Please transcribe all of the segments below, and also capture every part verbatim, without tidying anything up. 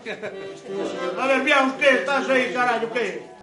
A ver, Biaus, que estás aí, carallo, que?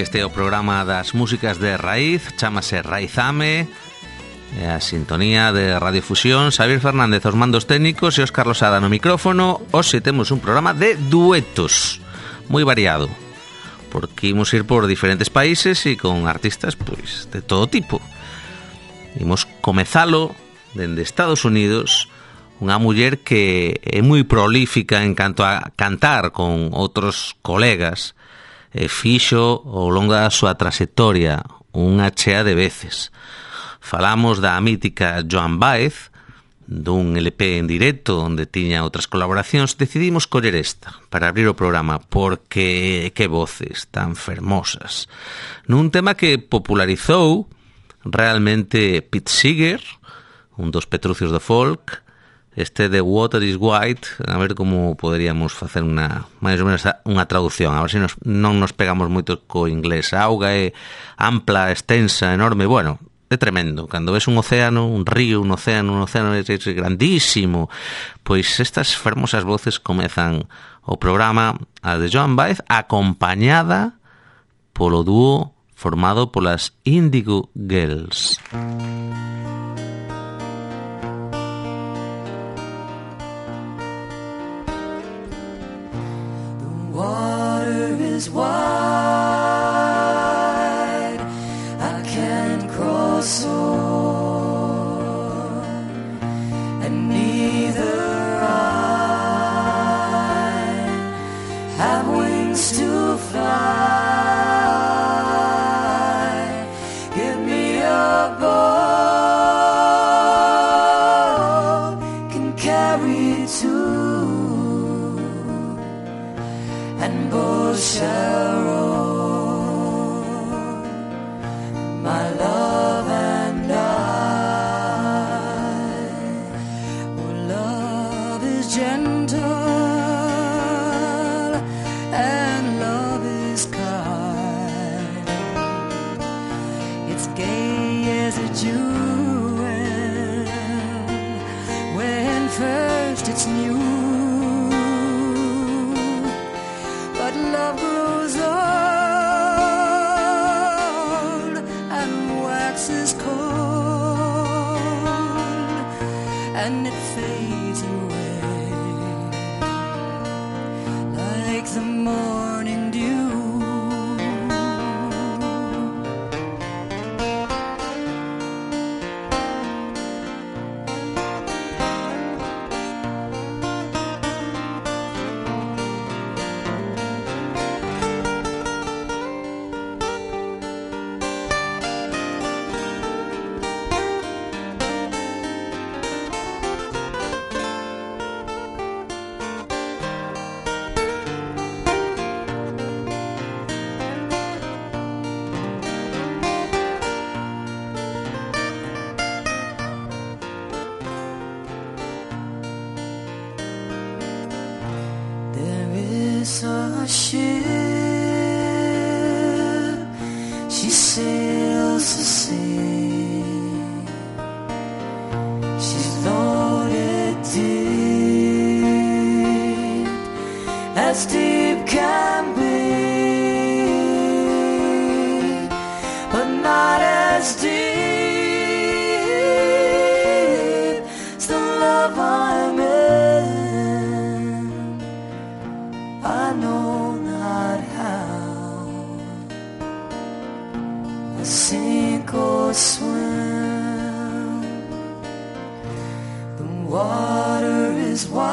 Este é o programa das músicas de raíz, chámase Raizame, é a sintonía de Radiofusión. Xavier Fernández os mandos técnicos e Óscar Losada no micrófono. Hoxe temos un programa de duetos, moi variado, porque imos ir por diferentes países e con artistas pois de todo tipo. Imos comezalo dende Estados Unidos, unha muller que é moi prolífica en canto a cantar con outros colegas, e fixo ao longo da súa traxectoria unha chea de veces. Falamos da mítica Joan Baez, dun L P en directo onde tiña outras colaboracións. Decidimos coller esta para abrir o programa porque que voces tan fermosas, nun tema que popularizou realmente Pete Seeger, un dos Petrucios do folk. Este de Water is White, a ver como poderíamos facer unha máis ou menos unha traducción, a ver se nos, non nos pegamos moito co inglés. A auga é ampla, extensa, enorme, bueno, é tremendo. Cando ves un océano, un río, un océano, un océano é grandísimo. Pois estas fermosas voces comezan o programa, a de Joan Baez, acompañada polo dúo formado polas Indigo Girls. Water is wide, I can't cross o'er, and neither I have wings to fly. Give me a boat, can carry two, and both shall row, my love and I. Oh, love is gentle and love is kind. It's gay as a jewel when first it's new. Love grows old and waxes cold, and it fades away like the morning dew. A ship, she sails the sea, she's loaded deep, as deep can be, but not as deep as the love I'm in. I know not how sink or swim. The water is wide,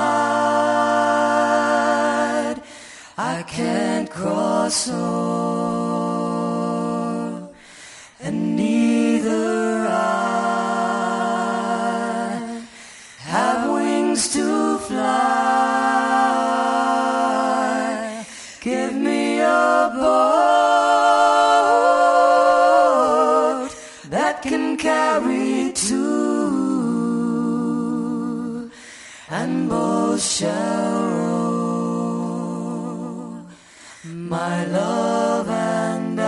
I can't cross o'er, and neither I have wings to fly. Give me a boat that can carry two, and both shall row, my love and I,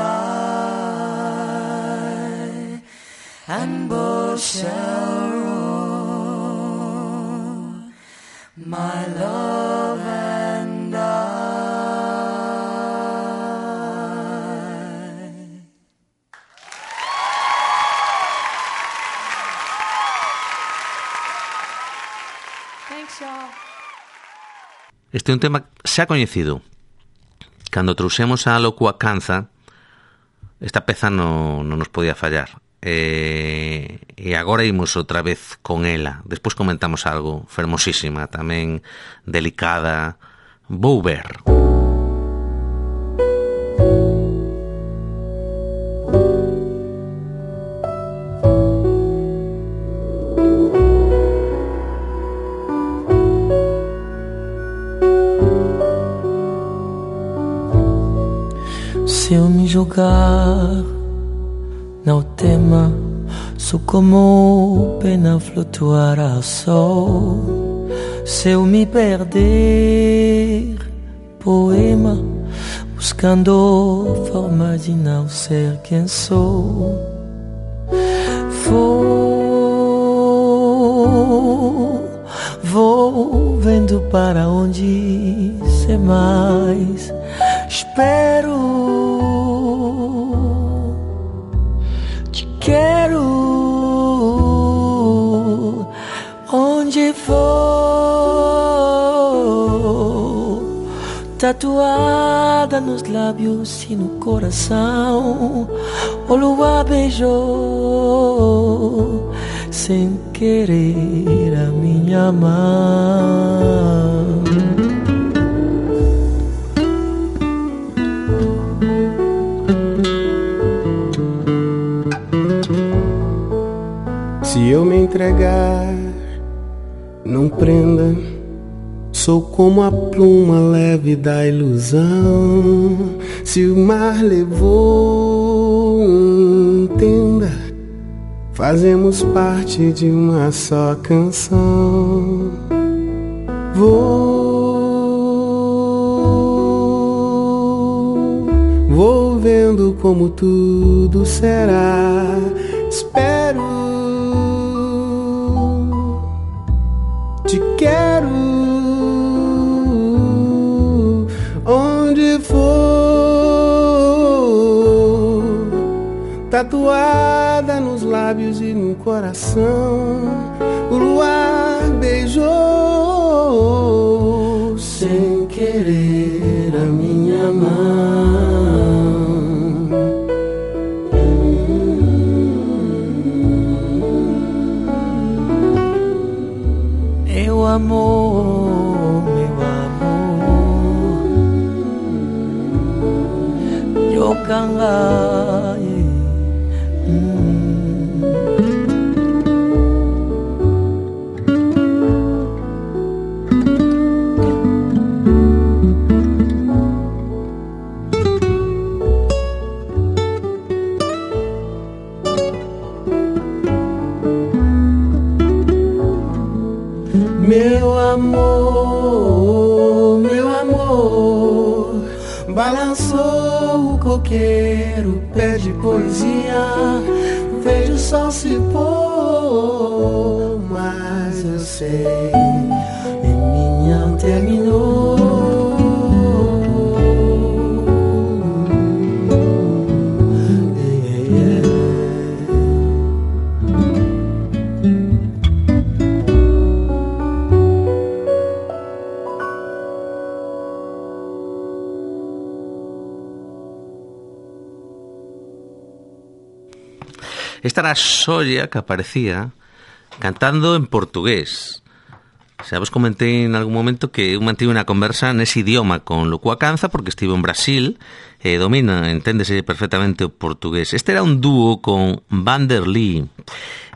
and both shall row, my love and I. Thanks, y'all. Este é un tema xa coñecido. Cando trouxemos a Locua Canza, esta peza non, non nos podía fallar. E, e agora imos outra vez con ela. Despois comentamos algo fermosísima, tamén delicada. Vou ver. Se eu me jogar no tema, sou como pena flutuar ao sol. Se eu me perder, poema, buscando forma de não ser quem sou. Vou, vou vendo para onde ser mais. Espero, te quero, onde for, tatuada nos lábios e no coração. O luar beijou sem querer a minha mão. Se eu me entregar, não prenda. Sou como a pluma leve da ilusão. Se o mar levou, entenda, fazemos parte de uma só canção. Vou, vou vendo como tudo será. Espero, te quero, onde for, tatuada nos lábios e no coração. O luar beijou sem querer a minha mão. Meu amor, meu amor, eu cangai. Meu amor, meu amor, balançou o coqueiro, pede poesia. Vejo o sol se pôr, mas eu sei, em mim não terminou. Esta era a Xoia que aparecía cantando en portugués. Xa vos comentei en algún momento que eu mantive unha conversa nese idioma con Lucua Canza porque estivo en Brasil e domina, enténdese perfectamente o portugués. Este era un dúo con Vanderlei.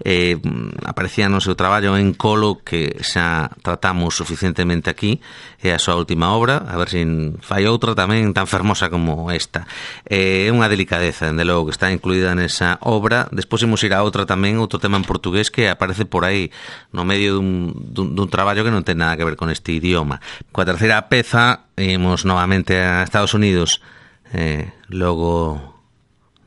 Eh, aparecía no seu traballo en Colo, que xa tratamos suficientemente aquí, é a súa última obra, a ver se fai outra tamén tan fermosa como esta. É eh, unha delicadeza, dende logo, que está incluída nesa obra. Despois imos ir a outra tamén, outro tema en portugués que aparece por aí no medio dun, dun, dun traballo que non ten nada que ver con este idioma. Coa terceira peza imos novamente a Estados Unidos, eh, logo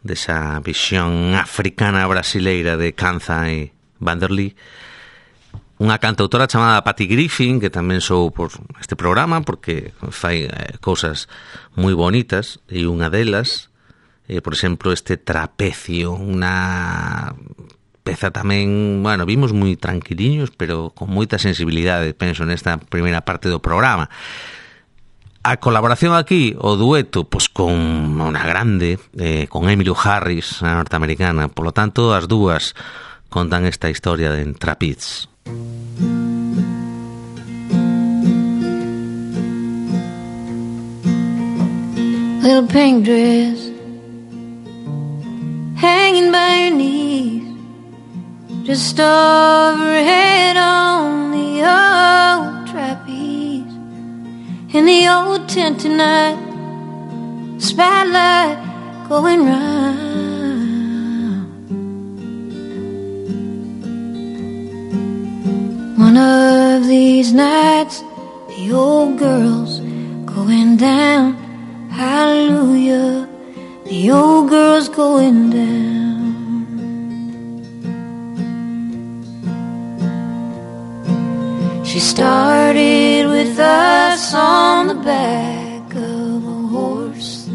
desa visión africana brasileira de Canza e Vanderlei, unha cantautora chamada Patty Griffin, que tamén sou por este programa porque fai eh, cousas moi bonitas, e unha delas, eh, por exemplo, este Trapecio, unha peza tamén, bueno, vimos moi tranquiliños, pero con moita sensibilidade, penso, nesta primeira parte do programa. A colaboración aquí, o dueto, pois con unha grande, eh, con Emmylou Harris, a norteamericana. Por lo tanto, as dúas contan esta historia de Trapeze. Little pink dress hanging by your knees, just overhead on the old trapeze. In the old tent tonight, spotlight going round. One of these nights, the old girl's going down. Hallelujah, the old girl's going down. She started with us on the back of a horse,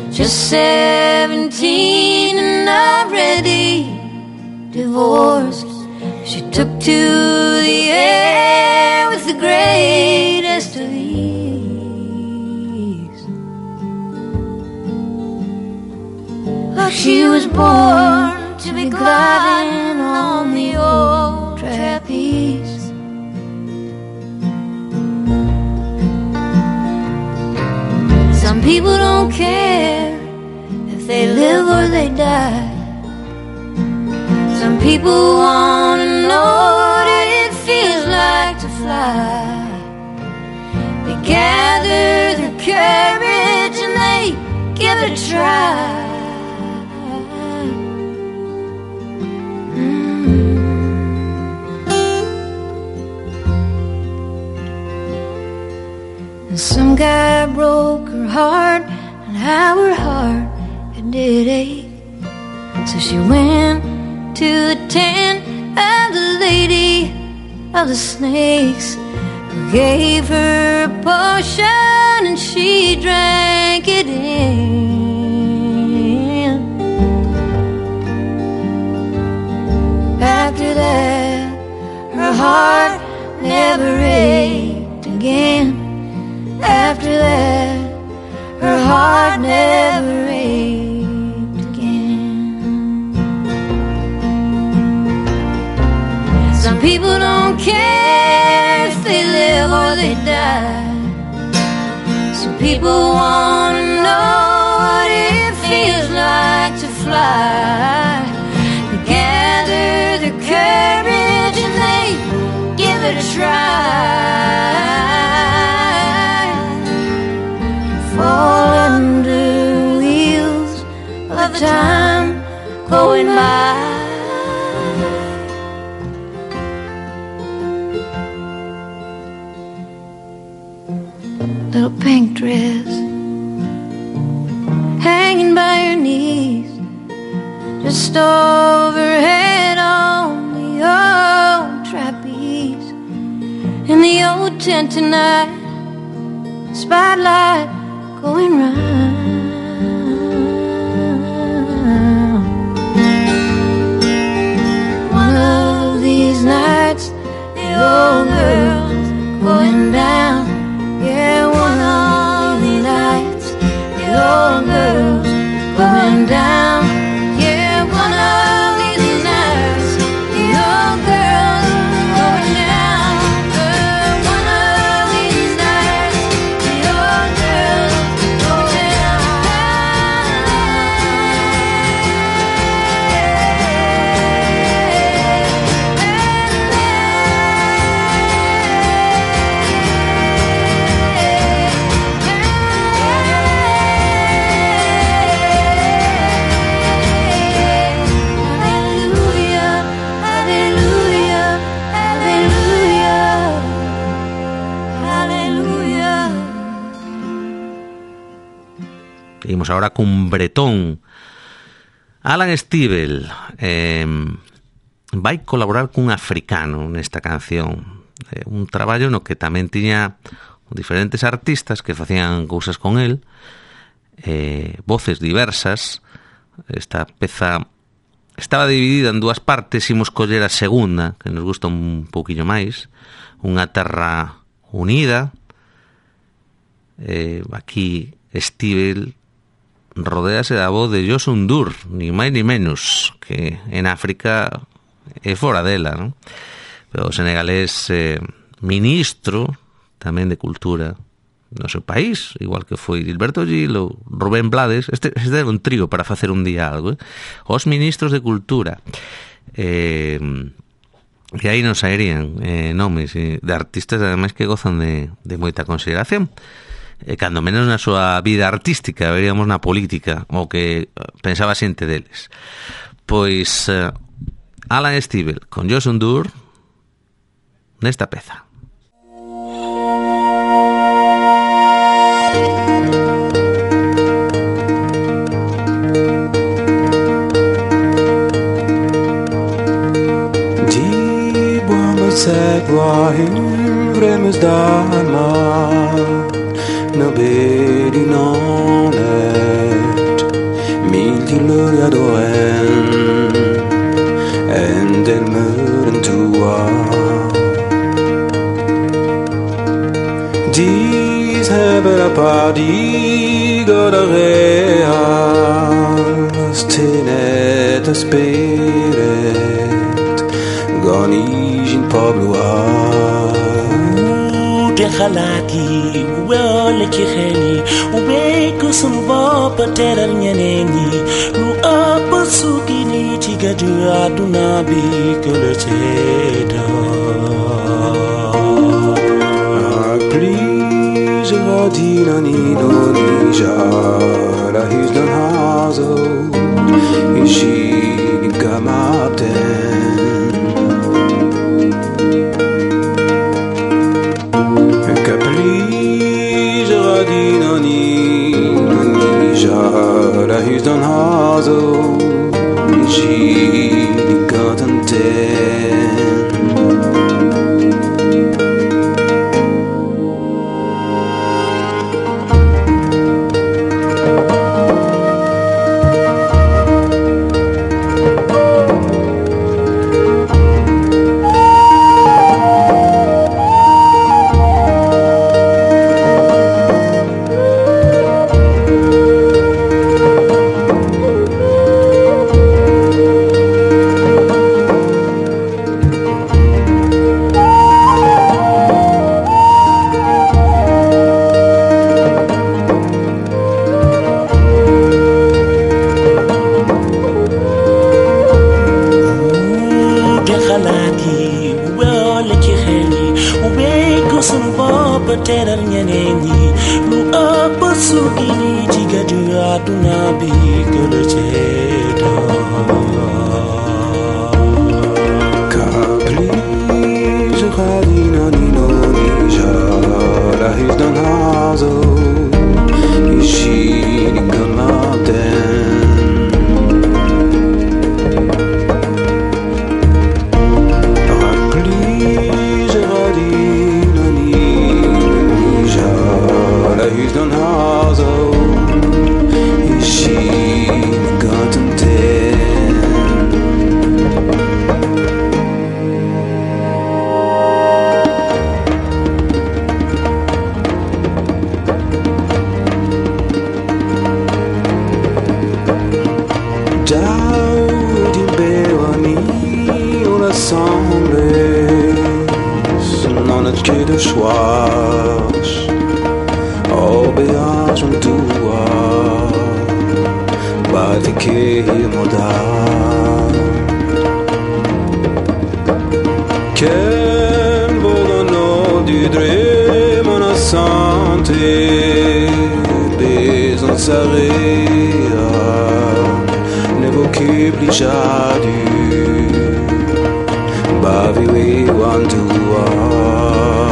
just seventeen and already divorced. She took to the air with the greatest of ease. Like she was born to be gliding on the old trapeze. Some people don't care if they live or they die. Some people want to know what it feels like to fly. They gather their courage and they give it a try. And some guy broke her heart, and how her heart it did ache. So she went to the tent of the Lady of the Snakes, who gave her a potion and she drank it in. After that, her heart never ached again. After that, her heart never ached again. Some people don't care if they live or they die. Some people want to know what it feels like to fly. They gather their courage and they give it a try. Fall under wheels of time going by. Little pink dress hanging by your knees, just overhead on the old trapeze. In the old tent tonight, spotlight going round. One of these nights, the old girl's going down. Yeah, one of these nights, the old girl's going down. Yeah, one of Imos ahora cun bretón. Alan Stivell eh, vai colaborar cun africano nesta canción. Eh, un traballo no que tamén tiña diferentes artistas que facían cousas con el, eh, voces diversas. Esta peza estaba dividida en dúas partes. Imos coller a segunda, que nos gusta un pouquinho máis, Unha terra unida. Eh, aquí Stivell rodéase da voz de Youssou N'Dour, ni máis ni menos, que en África é fora dela, non? Pero o senegalés eh, ministro tamén de cultura no seu país, igual que foi Gilberto Gil ou Rubén Blades. Este, este era un trío para facer un diálogo, eh? Os ministros de cultura. Eh, e aí nos saerían eh, nomes eh, de artistas ademais que gozan de, de moita consideración. E cando menos na súa vida artística, veríamos na política, o que pensaba xente deles. Pois eh, Alan Stivell con Youssou N'Dour nesta peza. Sagwahin vremes dama no bedi nonet mil gloria doen en del muren tua dis hebera party godarea stenet spirit goni Pablo de khalati wala ci xeli we ko sun bop teral ñeneni lu ap sukini ci gadu aduna bi ko le ceda please radina ni no ni jara his dan hazo ishi gamapten Hus dan hazo Ishi gatanten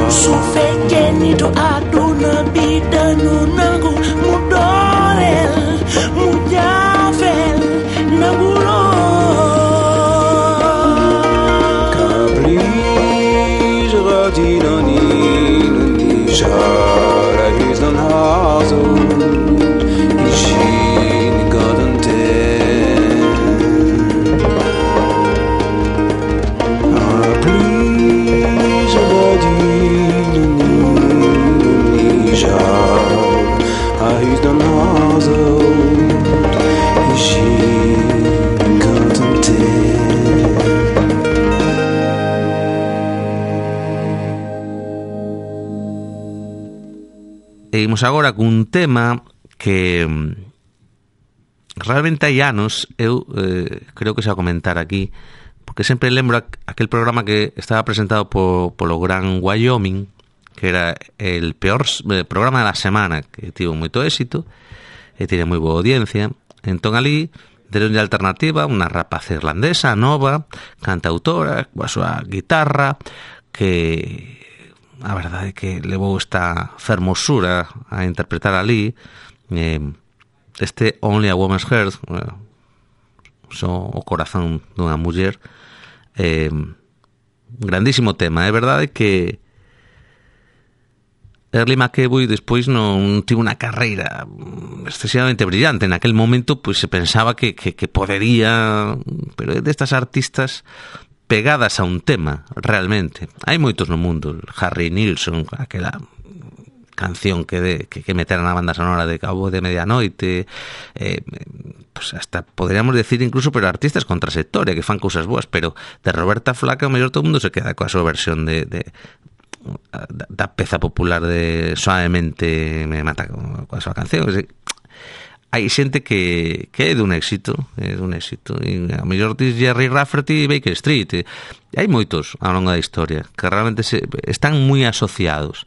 Sufekeni to aduna bidanu nangu mudorel seguimos agora cun tema que realmente hai anos eu eh, creo que xa comentar aquí, porque sempre lembro aquel programa que estaba presentado por, polo Gran Wyoming, que era el peor eh, programa da semana, que tivo moito éxito e tiene moi boa audiencia. Entón ali deronlle alternativa unha rapaz irlandesa nova, cantautora, coa súa guitarra, que a verdade é que levou esta fermosura a interpretar ali eh, este Only a Woman's Heart, eh, so o corazón dunha muller. Eh, grandísimo tema. É verdade que Early McEvoy despois non tivo unha carreira excesivamente brillante. En aquel momento pois se pensaba que, que, que podería, pero é destas artistas pegadas a un tema, realmente. Hai moitos no mundo. Harry Nilsson, aquela canción que, de, que, que meteran na banda sonora de Cabo de Medianoite, eh, pues hasta podríamos decir incluso, pero artistas con trayectoria que fan cousas boas, pero de Roberta Flaca o mellor todo o mundo se queda coa súa versión de, de da, da peza popular de Suavemente me mata coa súa canción. Hai xente que, que é dun éxito, é dun éxito, e a mellor dis Jerry Rafferty e Baker Street, e hai moitos ao longo da historia que realmente se, están moi asociados.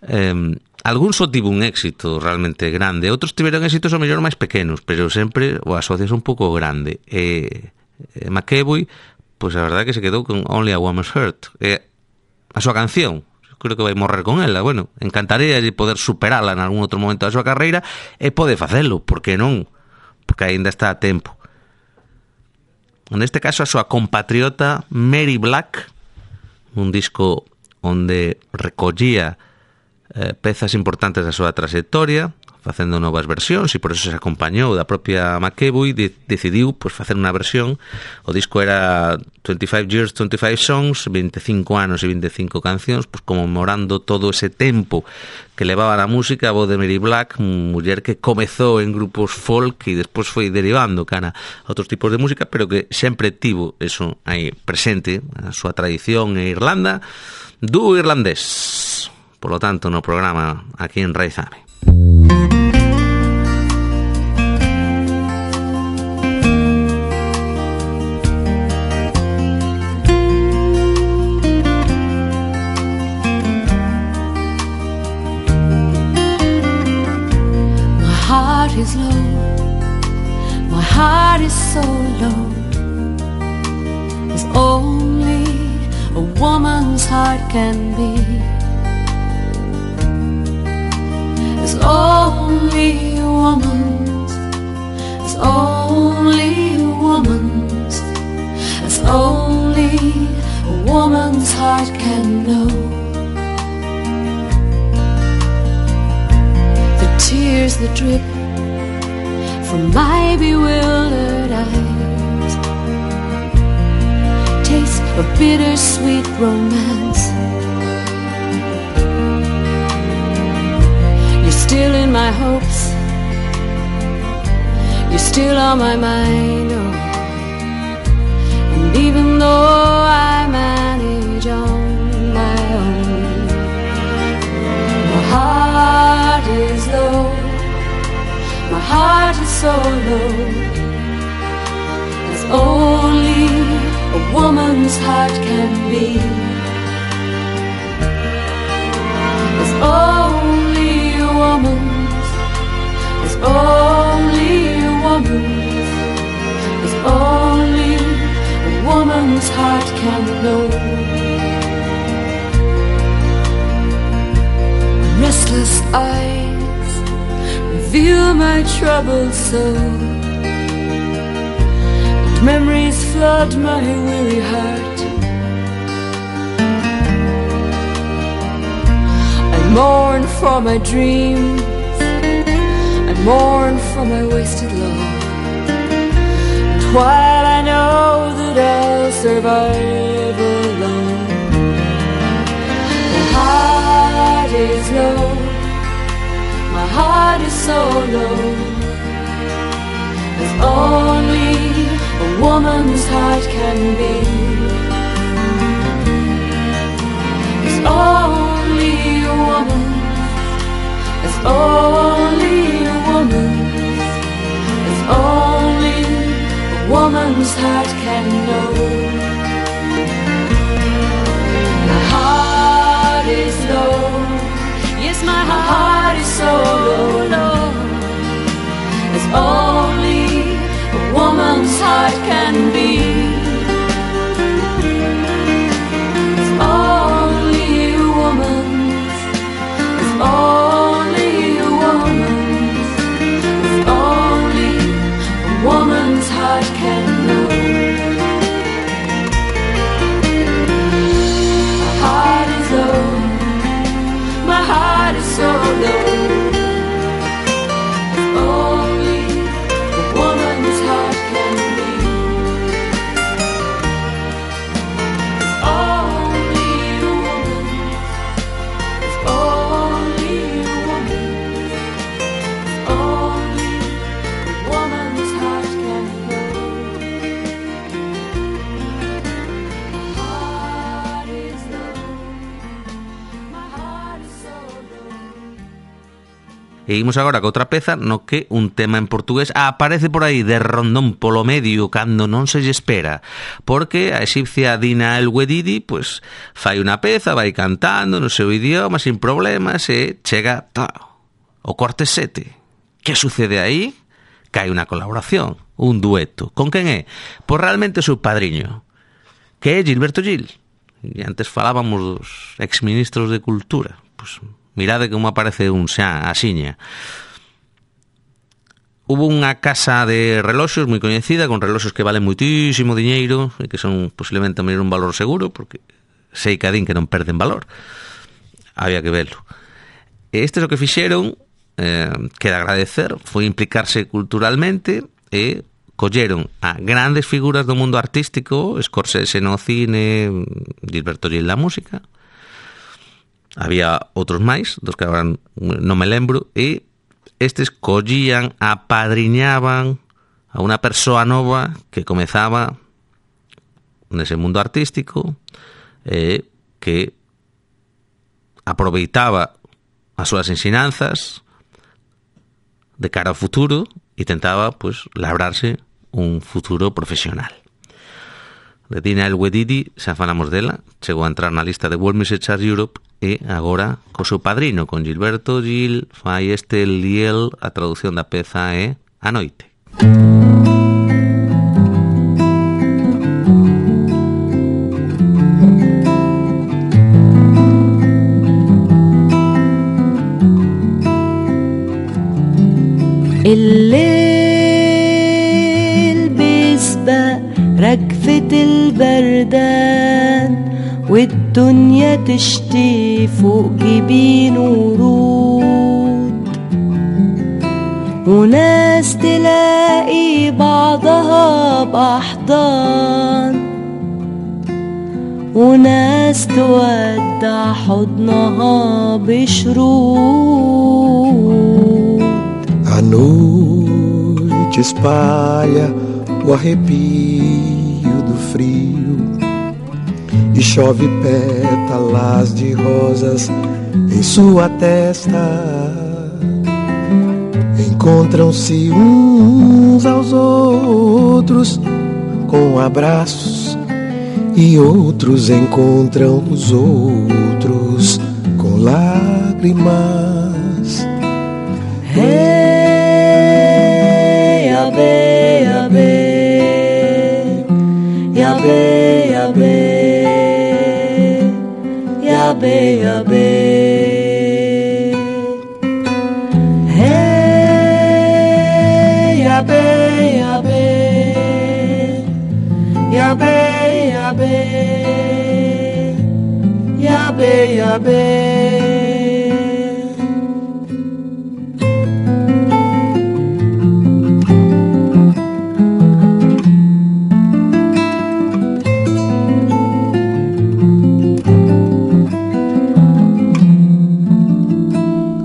Eh, algún só tivo un éxito realmente grande, outros tiveron éxitos ao mellor máis pequenos, pero sempre o asocias un pouco grande. E, e McEvoy, pois a verdade que se quedou con Only a Woman's Heart, e a súa canción, creo que vai morrer con ela. Bueno, encantaría de poder superala en algún outro momento da súa carreira, e pode facelo, porque non? Porque aínda está a tempo. Neste caso a súa compatriota Mary Black, un disco onde recollía Eh, pezas importantes da súa trayectoria, facendo novas versións, e por eso se acompañou da propia McEvoy. De, decidiu pues, facer unha versión. O disco era twenty-five years, twenty-five songs, veinticinco anos e veinticinco cancións, pues, conmemorando todo ese tempo que levaba na música. A voz de Mary Black, muller que comezou en grupos folk e despois foi derivando cara a outros tipos de música, pero que sempre tivo eso aí presente, a súa tradición en Irlanda, dúo irlandés. Por lo tanto, no programa aquí en Raizame. My heart is low, my heart is so low. As only a woman's heart can be. As only a woman's, as only a woman's, as only a woman's heart can know. The tears that drip from my bewildered eyes, taste of bittersweet romance. Still in my hopes, you're still on my mind, oh. And even though I manage on my own, my heart is low, my heart is so low, as only a woman's heart can be. As only woman's, as only a woman's, as only a woman's heart can know. Restless eyes reveal my troubled soul, and memories flood my weary heart. I mourn for my dreams, I mourn for my wasted love. And while I know that I'll survive alone, my heart is low, my heart is so low, as only a woman's heart can be. As only a woman, as only a woman's, it's only a woman's heart can know. My heart is low, yes, my heart is so low, low, as only a woman's heart can be. It's only a woman's, it's only a woman's, it's only a woman's heart can know. My heart is low, my heart is so low. It's only a woman's heart can be. It's only a woman's, it's only a woman's, it's only a woman's heart can know. My heart is low, my heart is so low. E imos agora co outra peza no que un tema en portugués aparece por aí de rondón polo medio cando non se lle espera, porque a exipcia Dina El Wedidi pues fai unha peza, vai cantando no seu idioma sin problemas e chega tá, o corte sete. Que sucede aí? Que hai unha colaboración, un dueto. Con quen é? Pois realmente o seu padriño, que é Gilberto Gil. E antes falábamos dos exministros de Cultura. Pois mirade como aparece un xa asiña. Hubo unha casa de reloxos moi coñecida, con reloxos que valen moitísimo diñeiro e que son posiblemente a un valor seguro, porque sei que adín que non perden valor. Había que verlo. E estes o que fixeron, eh, que de agradecer, foi implicarse culturalmente e colleron a grandes figuras do mundo artístico, Scorsese no cine, Gilberto Gil na música. Había outros máis, dos que agora non me lembro, e estes collían, apadriñaban a unha persoa nova que comezaba nese mundo artístico e que aproveitaba as súas ensinanzas de cara ao futuro e tentaba, pues, labrarse un futuro profesional. De Dina El Wedidi, xa falamos dela, chegou a entrar na lista de World Music Chart Europe e agora co seu padrino, con Gilberto Gil, fai este Liel, a traducción da peza é A Noite. الليل بيسبق رجفة البردان والدنيا تشتي فوق جبين ورود وناس تلاقي بعضها بأحضان وناس تودع حضنها بشرود. A noite espalha o arrepio do frio e chove pétalas de rosas em sua testa. Encontram-se uns aos outros com abraços e outros encontram os outros com lágrimas. Hey, Yahweh, Yahweh, Yahweh, Yahweh, Yahweh, Yahweh. Hey, Yahweh, Yahweh, Yahweh, Yahweh, Yahweh, Yahweh.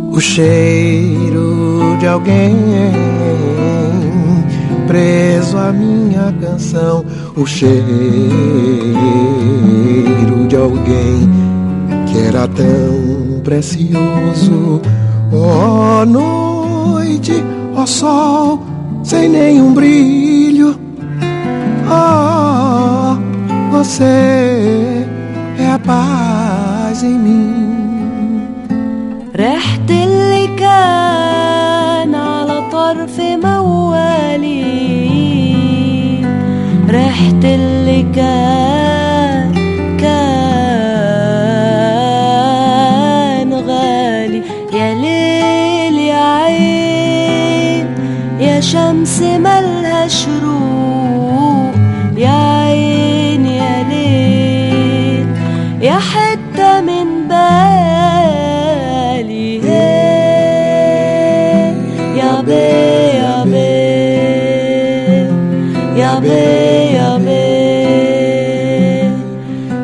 O cheiro de alguém preso à minha canção, o cheiro de alguém que era tão precioso, Ó noite, ó sol, sem nenhum brilho. Oh, você é a paz em mim. ريحة اللي كان على طرف موالي، ريحة اللي كان كان غالي. يا ليل يا عين يا شمس ملها شروق، يا عين يا ليل يا حتة من بالي. يا بي يا بي يا بي يا بي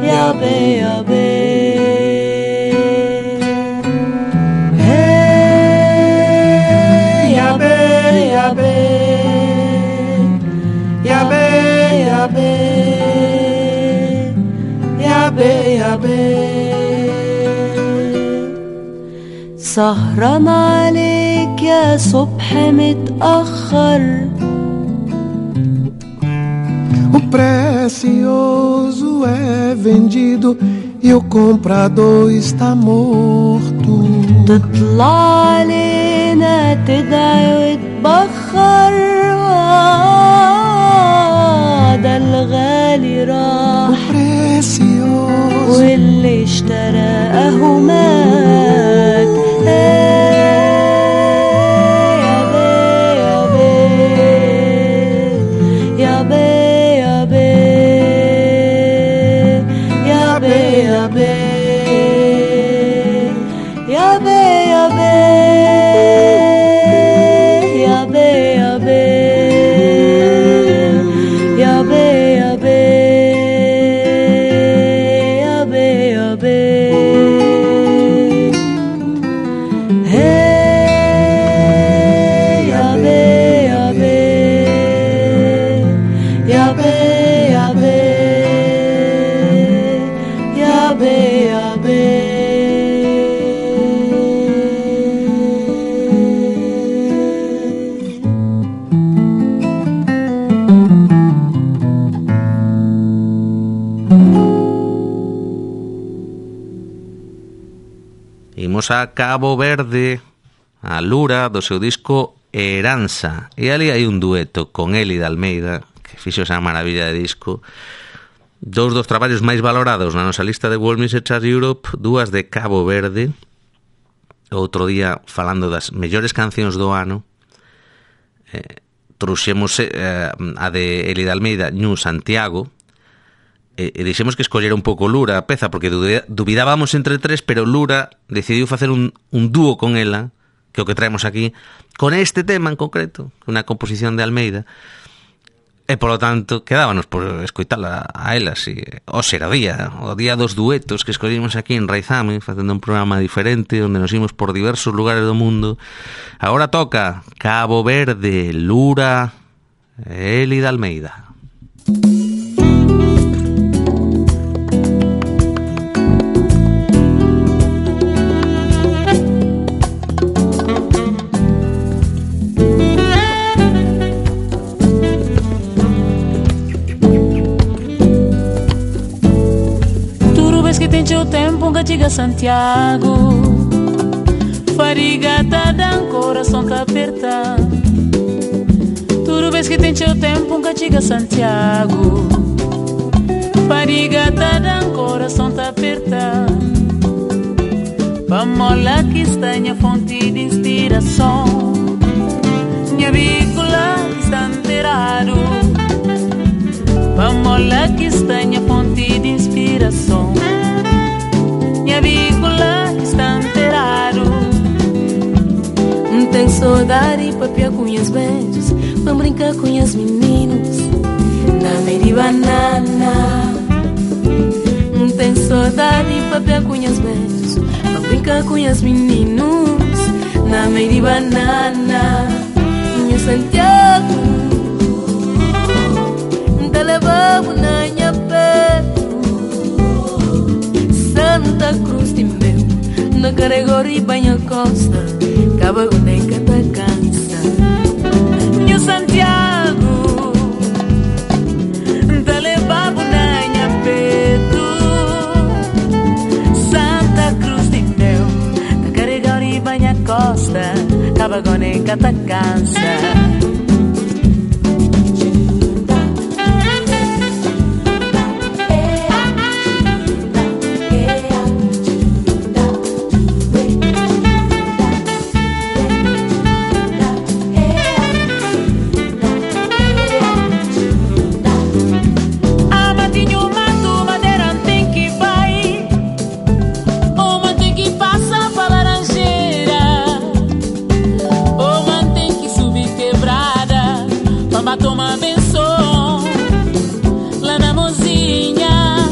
يا بي يا بي. يا بي يا بي يا بي يا بي يا بي يا بي. سهران عليك يا صبح متأخر. O precioso é vendido e o comprador está morto. تطلع علينا تدعي وتبخر، ده الغالي راح O precioso واللي اشترى اهو مات. يا بي يا بي يا بي يا بي يا بي يا بي يا بي يا بي يا بي يا بي يا بي يا بي. Hey يا بي يا بي يا بي يا بي يا بي يا بي. Imos a Cabo Verde, a Lura, do seu disco Heranza. E ali hai un dueto con Eli de Almeida, que fixo esa maravilla de disco. Dous dos traballos máis valorados na nosa lista de World Music Chart Europe, dúas de Cabo Verde. Outro día, falando das mellores cancións do ano, eh, trouxemos eh, a de Eli de Almeida, Ñu Santiago, e, e dixemos que escollera un pouco Lura a peza, porque dubidábamos entre tres, pero Lura decidiu facer un, un dúo con ela, que é o que traemos aquí, con este tema en concreto, unha composición de Almeida, e polo tanto quedábanos por escoitala a elas. E hoxe era o día, o día dos duetos que escollimos aquí en Raizame, facendo un programa diferente onde nos imos por diversos lugares do mundo. Agora toca Cabo Verde, Lura, Eli de Almeida. O tempo que chega a Santiago, farigata da coração tá aperta. Tudo vez que tem o tempo que chega a Santiago, farigata da coração tá aperta. Vamos lá que está minha fonte de inspiração, minha vícula está enterrado. Vamos lá que está minha fonte de inspiração, minha vícula está enterrado. Tenho saudade pra piar com as beijos, pra brincar com as meninos na meia de banana. Tenho saudade pra piar com as beijos, pra brincar com as meninos na meia de banana. Minha Santiago, te levamos na minha peito, Santa Cruz de meu, na Caregori banha costa. acaba com nem que te cansa. New Santiago, te levava na minha peito. Santa Cruz de meu, te carregar e banha costa, acaba com nem que te cansa. Toma benção lá na mozinha.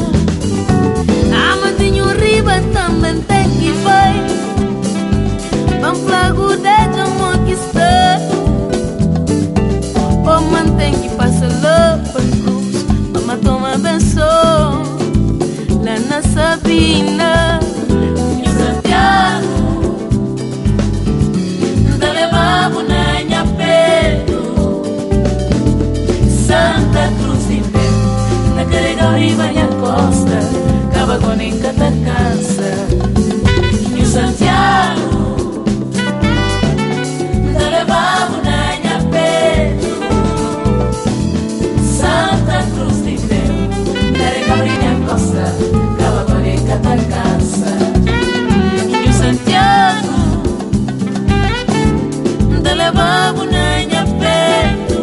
Amadinho riba também tem que vai. Vamos flago de jamão que está. O mantém que passa lá para cruz. Mama toma benção lá na Sabina. E o Santiago te levava na minha peito. Santa Cruz de meu, na carregar e banha costa, acaba com nem que te cansa. E o Santiago te levava na minha peito. Santa Cruz de meu, carregar e banha costa, acaba com nem que te cansa. E o Santiago te levava na minha peito.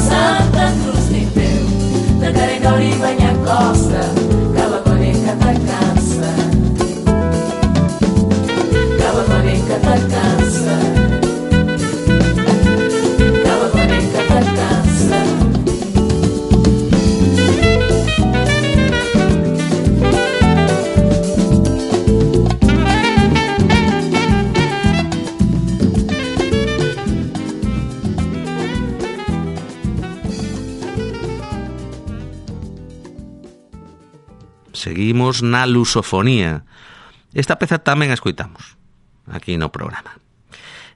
Santa Cruz de meu, te carregar e banha costa, acaba com nem que te cansa. Acaba com nem que te cansa. Acaba com nem que te cansa. Seguimos na lusofonía. Esta peza tamén a escoitamos aquí no programa.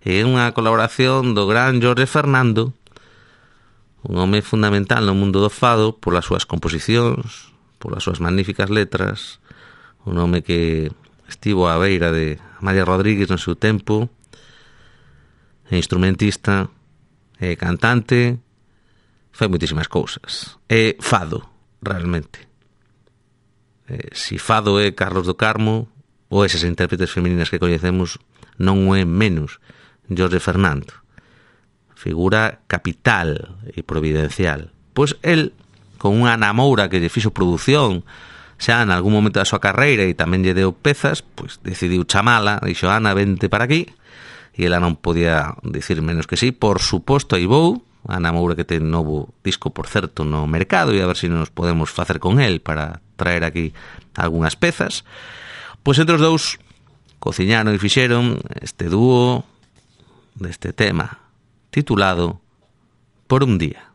É unha colaboración do gran Jorge Fernando, un home fundamental no mundo do fado polas súas composicións, polas súas magníficas letras, un home que estivo á beira de María Rodríguez no seu tempo, é instrumentista, é cantante, fai moitísimas cousas. É fado, realmente. Eh, si fado é Carlos do Carmo ou esas intérpretes femininas que coñecemos, non o é menos Jorge Fernando, figura capital e providencial. Pois el, con unha Ana Moura que lle fixo produción xa en algún momento da súa carreira e tamén lle deu pezas, pois decidiu chamala, dixo: Ana, vente para aquí, e ela non podía dicir menos que sí. Por suposto, aí vou. Ana Moura, que ten novo disco, por certo, no mercado, e a ver se nos podemos facer con el para traer aquí algunhas pezas. Pois entre os dous cociñaron e fixeron este dúo deste tema titulado Por un día.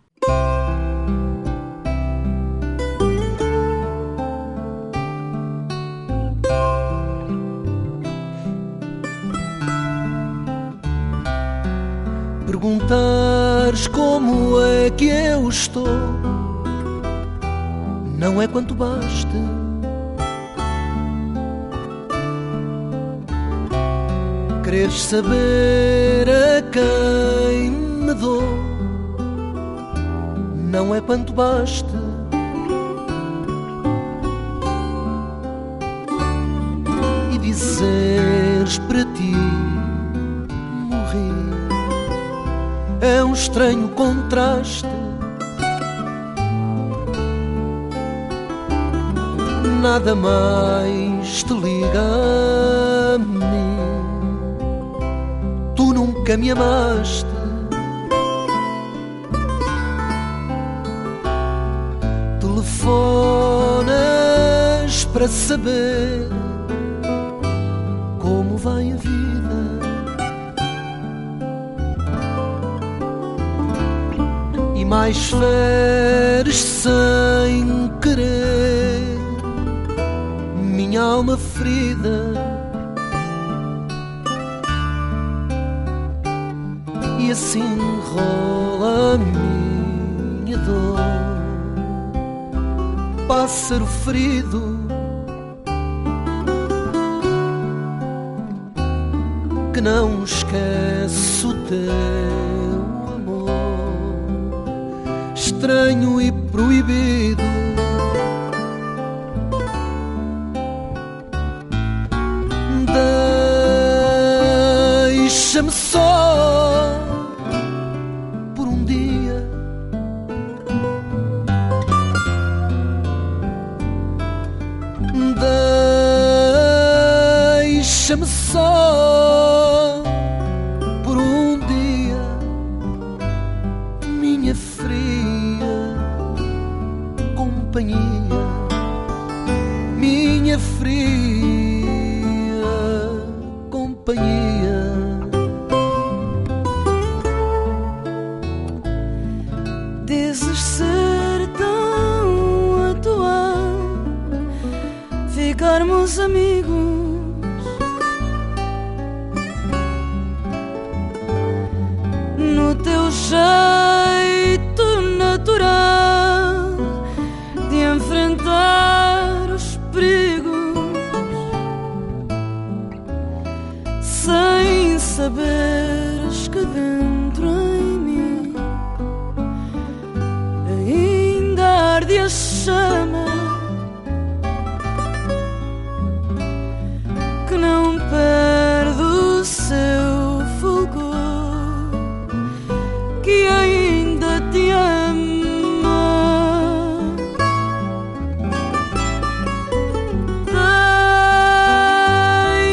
Perguntares como é que eu estou, não é quanto baste. Quereres saber a quem me dou, não é quanto baste. E dizeres para ti morri é um estranho contraste. Nada mais te liga a mim, tu nunca me amaste. Telefonas para saber como vai a vida, e mais feres sem querer minha alma ferida. e assim rola a minha dor. Pássaro ferido que não esquece o teu amor, estranho e proibido. Deixa-me só por um dia, deixa-me só por um dia, minha fria companhia, minha fria companhia. Dizes ser tão atual, ficarmos amigos. No teu jeito natural de enfrentar os perigos, sem saberes que dentro em mim ainda arde a chama que não perde o seu fulgor, que ainda te ama.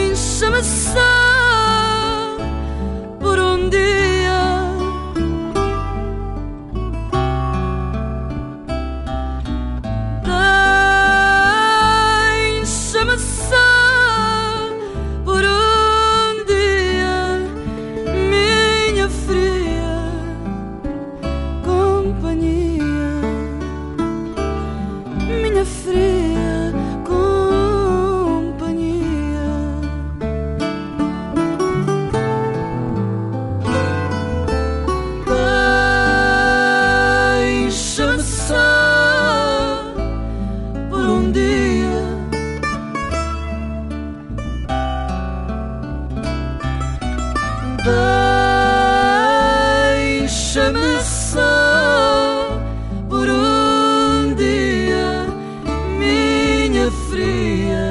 Deixa-me só por um dia, deixa-me só por um dia, minha fria companhia, minha fria companhia. Deixa-me só por um dia, deixa-me só por um dia, minha fria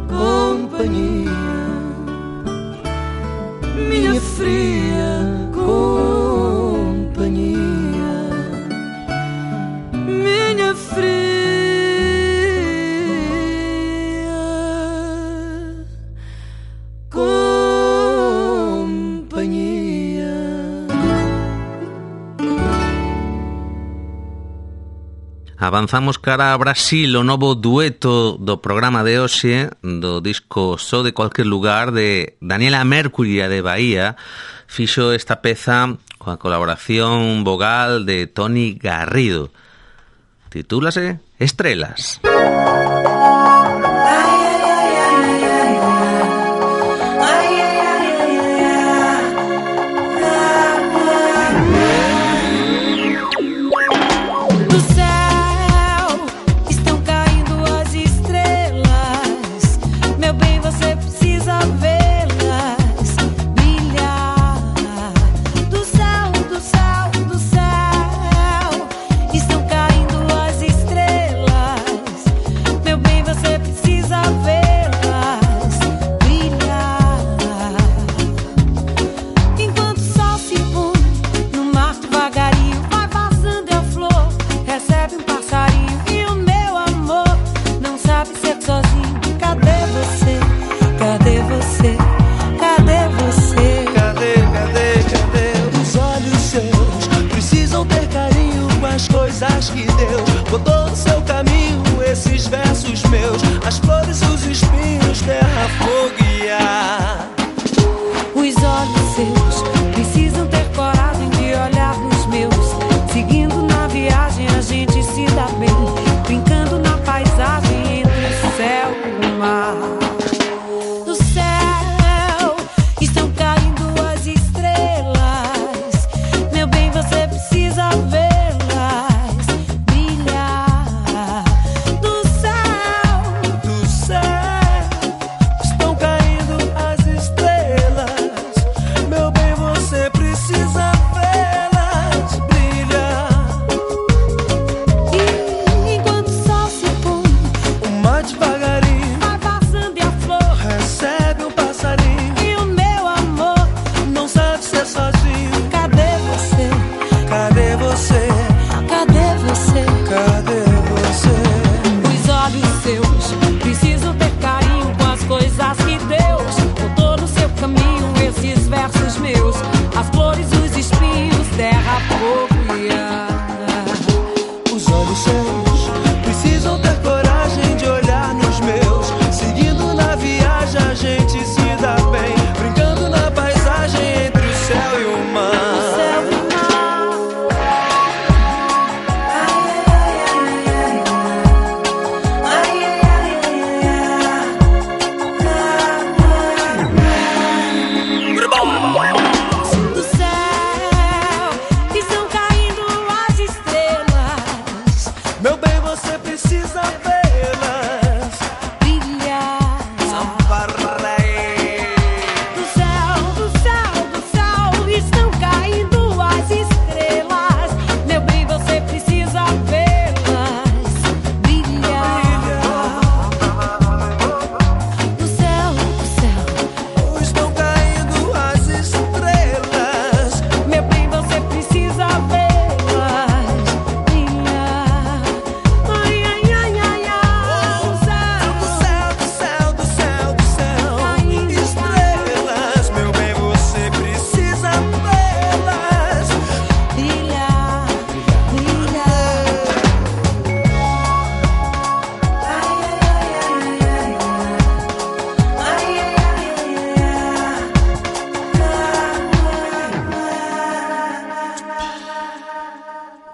companhia, minha fria companhia, minha fria companhia. Avanzamos cara a Brasil, o novo dueto do programa de hoxe, do disco Só de Cualquier Lugar, de Daniela Mercury de Bahía. Fixo esta peza coa colaboración vogal de Tony Garrido. Titúlase Estrelas. Do céu estão caindo as estrelas, meu bem, você precisa vê-las brilhar. Do céu, do céu, do céu estão caindo as estrelas,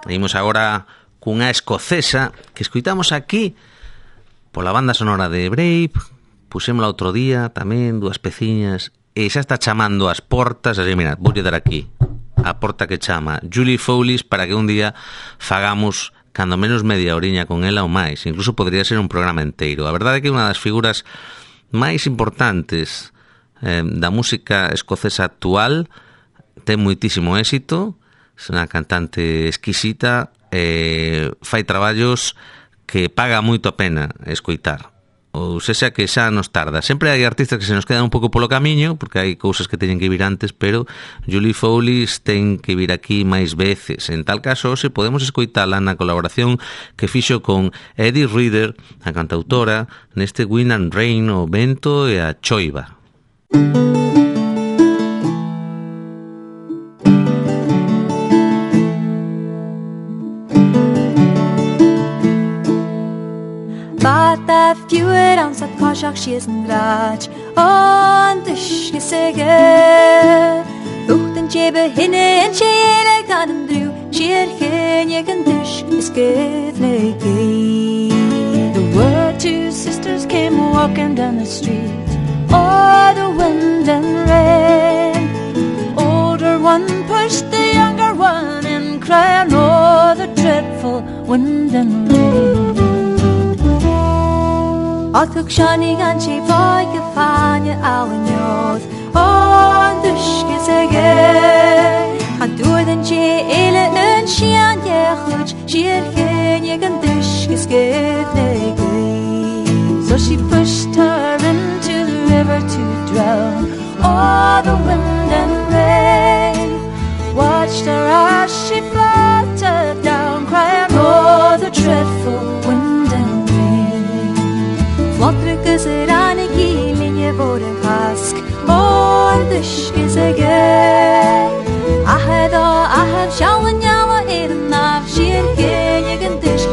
Imos agora cunha escocesa que escoitamos aquí pola banda sonora de Brave, pusémola outro día tamén, dúas peciñas, e xa está chamando as portas, así, mira, vou dar aquí a porta que chama Julie Fowlis para que un día fagamos cando menos media oriña con ela ou máis, incluso podría ser un programa inteiro. A verdade é que é unha das figuras máis importantes eh, da música escocesa actual, ten moitísimo éxito, é unha cantante exquisita, eh, fai traballos que paga moito a pena escoitar, ou sexa que xa nos tarda. Sempre hai artistas que se nos quedan un pouco polo camiño, porque hai cousas que teñen que vir antes, pero Julie Fowlis ten que vir aquí máis veces. En tal caso, se podemos escoitala na colaboración que fixo con Eddie Reader, a cantautora, neste Wind and Rain, o vento e a choiva. Bata fjuer ansat kashak shiesen grach on dishke sege Uchten chebe hinne en chele kanen dru Shier henje kan dishke skevlegi. There were two sisters came walking down the street. Oh, the wind and rain. Older one pushed the younger one and cried, oh, the dreadful wind and rain. Altuk shani ganchi boy gefanye awen yod on dushke sege Han door den che ele en shian ye khuch shir kenye gan dushke skevlegi. So she pushed her into the river to drown. Oh, the wind and rain watched her as she fluttered down, crying, oh, the dreadful wind and rain. Flottrykes rane gilinje våre hask og dyskes ege. Ahed og ahed sjallen jalla er en av skirke jegen dysk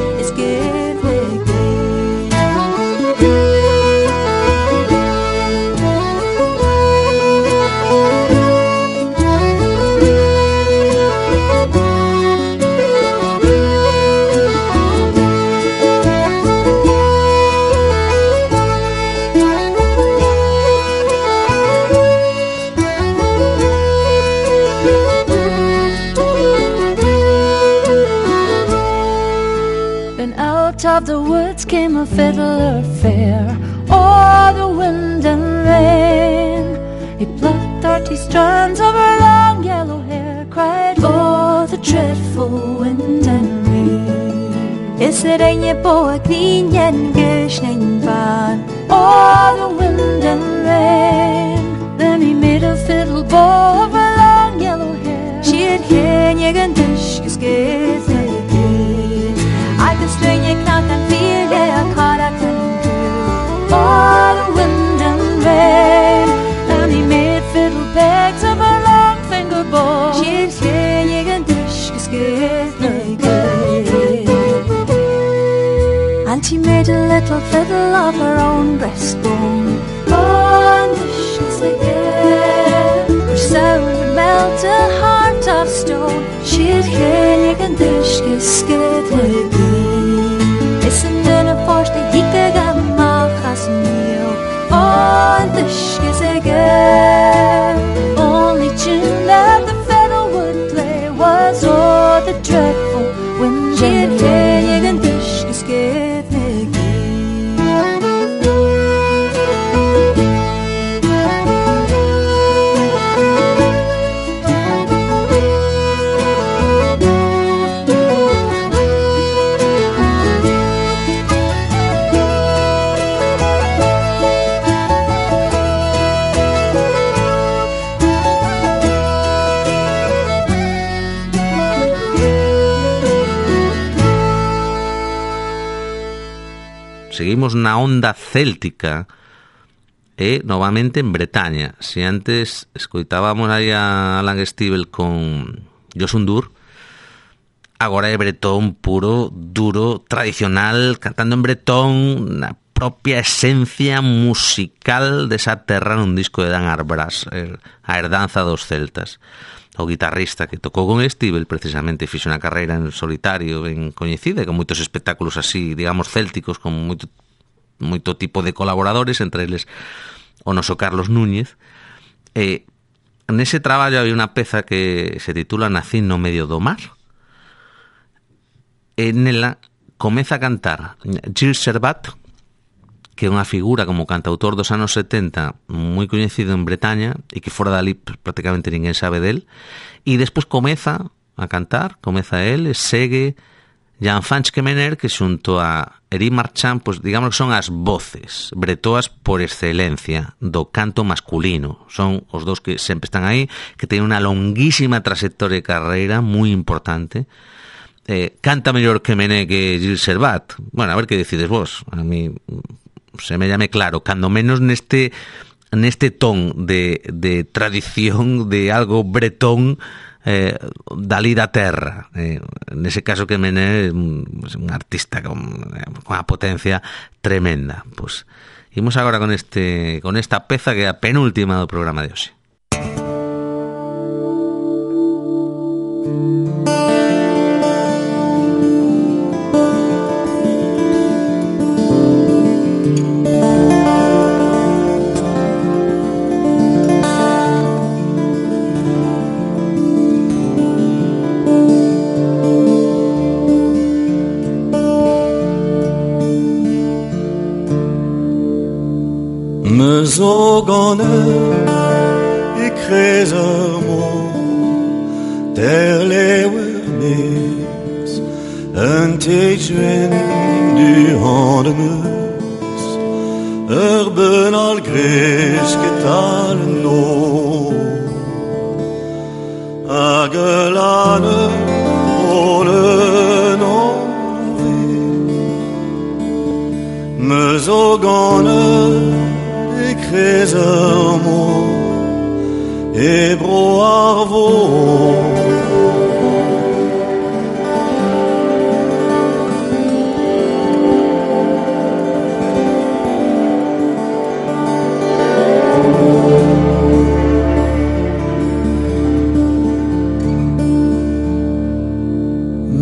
of the woods came a fiddler fair. Oh, the wind and rain. He plucked thirty strands of her long yellow hair, cried, oh, the dreadful wind and rain. Is er een på klinjen geschnitten van? Oh, the wind and rain. Then he made a fiddle bow of her long yellow hair. Skjer henjegen dyskes gete. I can string you knock and feel yeah, caught up in oh, the wind and rain. And he made fiddle pegs of her long finger bow. Skjer henjegen dyskes gete. And she made a little fiddle of her own breastbone. Oh, and she's again. Her sound would melt a heart of stone. Skjer henjegen dyskes gete. Isn't in a force the hika gamma has meal. Oh, and dyskes again. Only tune that the fiddle would play was oh, the dreadful wind and rain. And dyskes give me Seguimos na onda céltica e novamente en Bretaña. Se antes escoitábamos aí a Alan Stivell con Josundur, agora é bretón puro, duro, tradicional, cantando en bretón na propia esencia musical desa terra nun disco de Dan Arbras, a herdanza dos celtas. o guitarrista que tocou con Estíbal, precisamente fixo unha carreira en solitario ben coñecida, con moitos espectáculos así, digamos, célticos, con moito, moito tipo de colaboradores, entre eles o noso Carlos Núñez. E nese traballo hai unha peza que se titula Nacín no medio do mar, e nela comeza a cantar Gilles Servat, que é unha figura como cantautor dos anos setenta moi coñecido en Bretaña e que fora dali prácticamente ninguén sabe del, e despois comeza a cantar, comeza el, e segue Jean-Franch Kemener, que xunto a Eric Marchand, pues digamos que son as voces bretoas por excelencia do canto masculino. Son os dos que sempre están aí, que teñen unha longuísima trayectoria de carreira moi importante. Eh, canta mellor Kemener que Gilles Servat. Bueno, a ver que decides vos. A mí se me llame claro, cando menos neste neste ton de, de tradición de algo bretón, eh, dali da terra. Eh, nese caso que Mené é un, un artista con, con unha potencia tremenda. Pues, imos agora con este con esta peza que é a penúltima do programa de hoxe. Zogoner i kresermo der lewemes en teitwen du handemus urben al greske talen no agelane ålen over me zogoner Kresermo e broarvo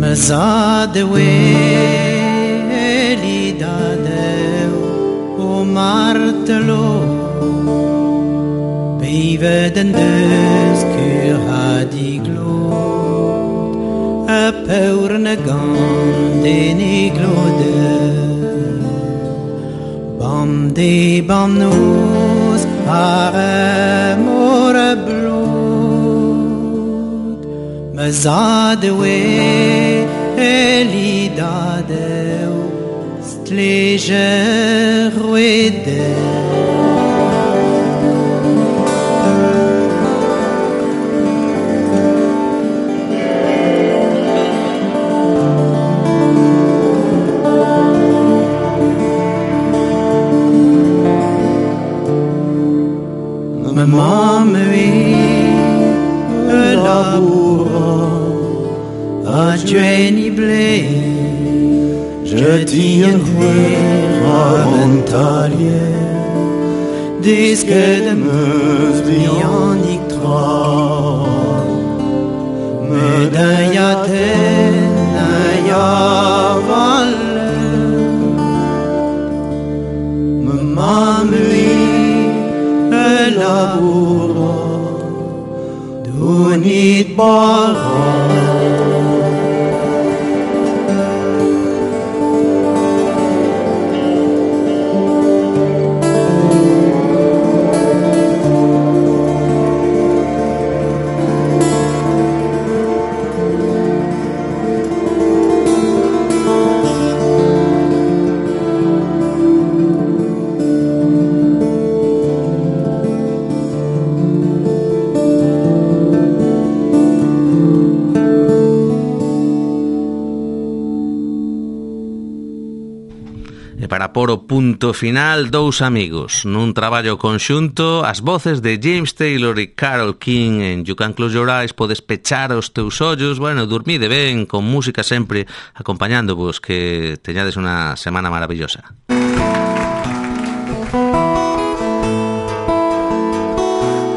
Mazade weli dadeu o martelo Vive den dödskur hade glåd A paurne ganden i glåde Bam de bam nos Are more blod Mazade we elidade Stleger ruede Mamma laboura a Jenny Blay je tiendrai à Montalier disque de meuse bionique trois médaille à Athènes à Valle Mamma labura dunit bara Para por o punto final, dous amigos nun traballo conxunto, as voces de James Taylor e Carole King en You Can Close Your Eyes, podes pechar os teus ollos, bueno, dormide ben, con música sempre acompañándovos, que teñades unha semana maravillosa.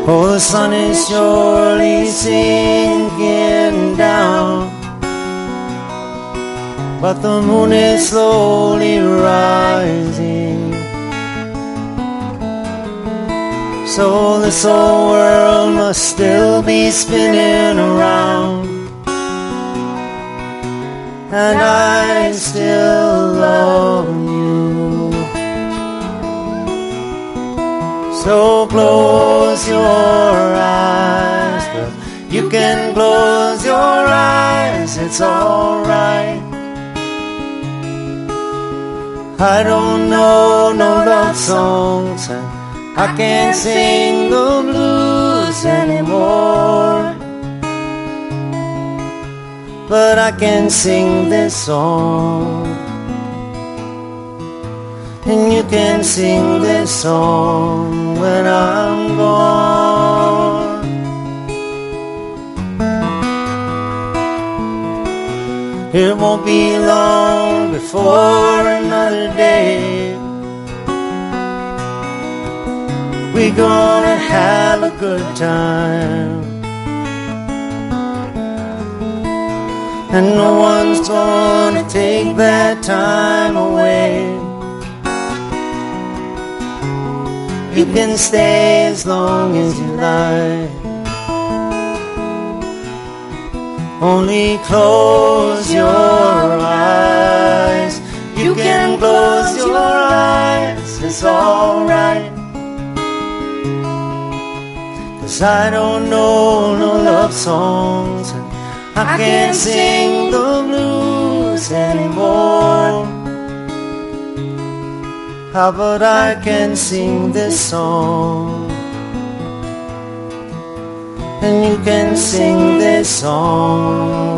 Oh, the sun is surely sinking down, but the moon is slowly rising. So this whole world must still be spinning around, and I still love you. So close your eyes, but you can close your eyes, it's alright. I don't know no love songs, and I can't sing the blues anymore, but I can sing this song, and you can sing this song when I'm gone. It won't be long before another day we're gonna have a good time, and no one's gonna take that time away. You can stay as long as you like, only close your eyes. You can close your eyes, it's alright. 'Cause I don't know no love songs, and I can't sing the blues anymore. How about I can sing this song, and you can sing this song